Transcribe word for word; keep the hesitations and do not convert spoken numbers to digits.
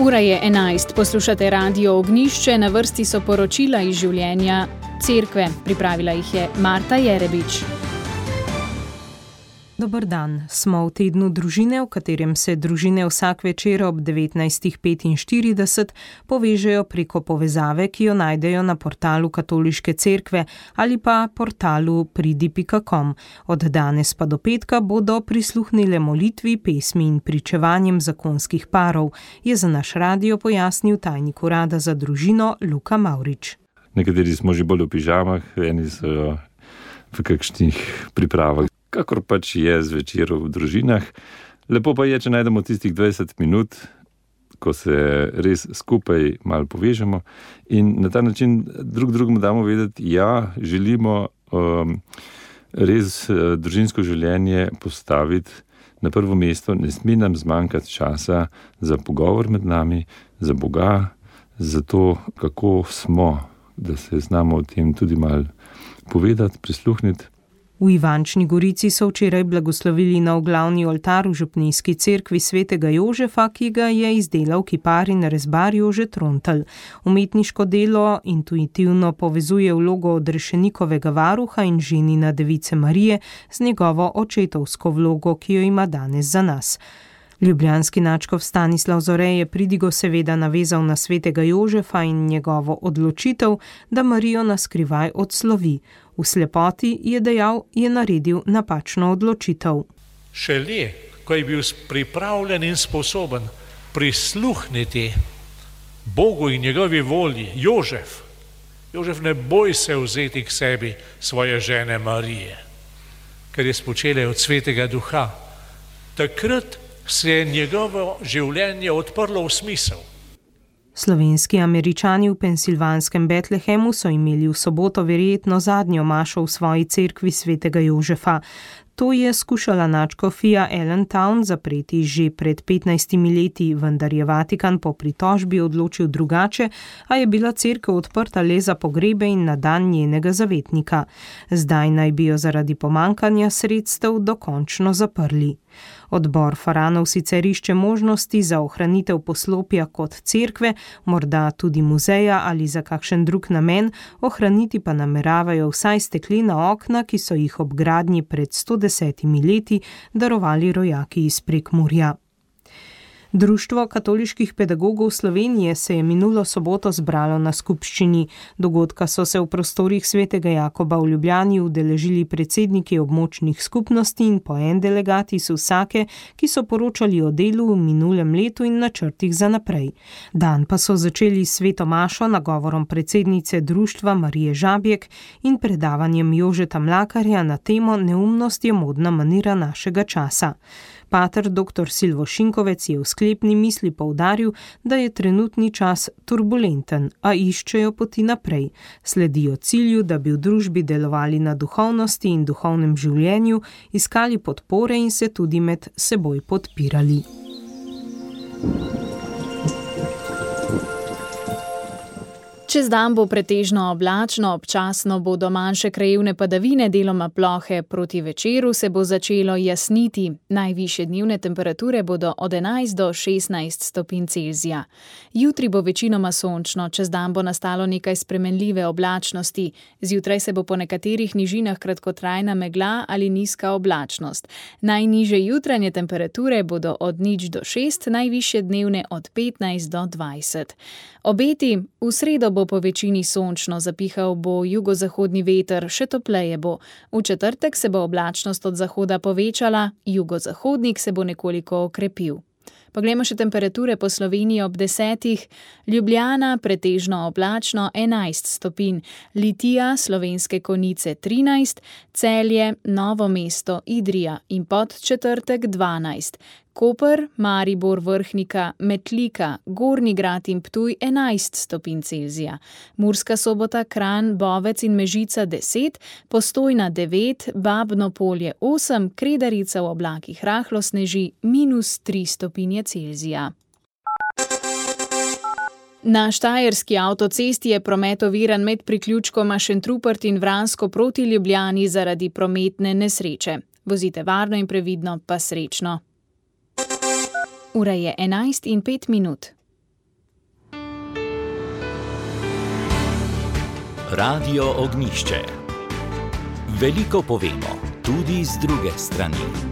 Ura je enajst, poslušate Radio Ognjišče, na vrsti so poročila iz življenja cerkve. Pripravila jih je Marta Jerebič. Dober dan, smo v tednu družine, v katerem se družine vsak večer ob devetnajst petinštirideset povežejo preko povezave, ki jo najdejo na portalu Katoliške cerkve ali pa portalu pridi pika com. Od danes pa do petka bodo prisluhnile molitvi, pesmi in pričevanjem zakonskih parov, je za naš radio pojasnil tajnik urada za družino Luka Mavrič. Nekateri smo že bolj v pižamah, eni so v kakšnih pripravah. Kakor pač je zvečer v družinah. Lepo pa je, če najdemo tistih dvajset minut, ko se res skupaj malo povežemo in na ta način drug drugemu damo vedeti, ja, želimo um, res uh, družinsko življenje postaviti na prvo mesto, ne sme nam zmanjkati časa za pogovor med nami, za Boga, za to, kako smo, da se znamo o tem tudi malo povedati, prisluhniti. V Ivančni Gorici so včeraj blagoslovili nov glavni oltar v župnijski cerkvi svetega Jožefa, ki ga je izdelal kipar in rezbar Jože Trontelj. Umetniško delo intuitivno povezuje vlogo odrešenikovega varuha in ženina device Marije z njegovo očetovsko vlogo, ki jo ima danes za nas. Ljubljanski nadškof Stanislav Zore je pridigo seveda navezal na svetega Jožefa in njegovo odločitev, da Marijo na skrivaj odslovi. V slepoti, je dejal, je naredil napačno odločitev. Šele, ko je bil pripravljen in sposoben prisluhniti Bogu in njegovi volji, Jožef, Jožef ne boj se vzeti k sebi svoje žene Marije, ker je spočela od svetega duha. Takrat se je njegovo življenje odprlo v smisel. Slovenski Američani v pensilvanskem Betlehemu so imeli v soboto verjetno zadnjo mašo v svoji cerkvi svetega Jožefa. To je skušala nadškofija Allentown zapreti že pred petnajstimi leti, vendar je Vatikan po pritožbi odločil drugače, a je bila cerkev odprta le za pogrebe in na dan njenega zavetnika. Zdaj naj bi jo zaradi pomankanja sredstev dokončno zaprli. Odbor Faranov sicer išče možnosti za ohranitev poslopja kot cerkve, morda tudi muzeja ali za kakšen drug namen, ohraniti pa nameravajo vsaj steklena okna, ki so jih ob gradnji pred sto desetimi leti darovali rojaki iz Prekmurja. Društvo katoliških pedagogov Slovenije se je minulo soboto zbralo na skupščini. Dogodka so se v prostorih svetega Jakoba v Ljubljani udeležili predsedniki območnih skupnosti in po en delegat iz vsake, ki so poročali o delu v minulem letu in načrtih za naprej. Dan pa so začeli s sveto mašo, nagovorom predsednice društva Marije Žabjek in predavanjem Jožeta Mlakarja na temo Neumnost je modna manira našega časa. Pater doktor Silvo Šinkovec je v sklepni misli poudaril, da je trenutni čas turbulenten, a iščejo poti naprej. Sledijo cilju, da bi v družbi delovali na duhovnosti in duhovnem življenju, iskali podpore in se tudi med seboj podpirali. Čez dan bo pretežno oblačno, občasno bodo manjše krajevne padavine, deloma plohe, proti večeru se bo začelo jasniti. Najvišje dnevne temperature bodo od enajst do šestnajst stopinj Celzija. Jutri bo večinoma sončno, čez dan bo nastalo nekaj spremenljive oblačnosti. Zjutraj se bo po nekaterih nižinah kratkotrajna megla ali nizka oblačnost. Najnižje jutranje temperature bodo od nič do šest, najvišje dnevne od petnajst do dvajset. Obeti: v sredo bo po večini sončno, zapihal bo jugozahodni veter, še topleje bo. V četrtek se bo oblačnost od zahoda povečala, jugozahodnik se bo nekoliko okrepil. Poglejmo še temperature po Sloveniji ob desetih. Ljubljana pretežno oblačno enajst stopinj, Litija, Slovenske Konjice trinajst, Celje, Novo mesto, Idrija in Podčetrtek dvanajst. Koper, Maribor, Vrhnika, Metlika, Gornji Grad in Ptuj enajst stopinj Celzija. Murska Sobota, Kranj, Bovec in Mežica deset, Postojna devet, Babno Polje osem, Kredarica v oblakih rahlo sneži minus tri stopinje Celzija. Na štajerski avtocesti je promet oviran med priključkoma Šentrupert in Vransko proti Ljubljani zaradi prometne nesreče. Vozite varno in previdno, pa srečno. Ura je enajst in pet minut. Radio Ognišče. Veliko povemo, tudi z druge strani.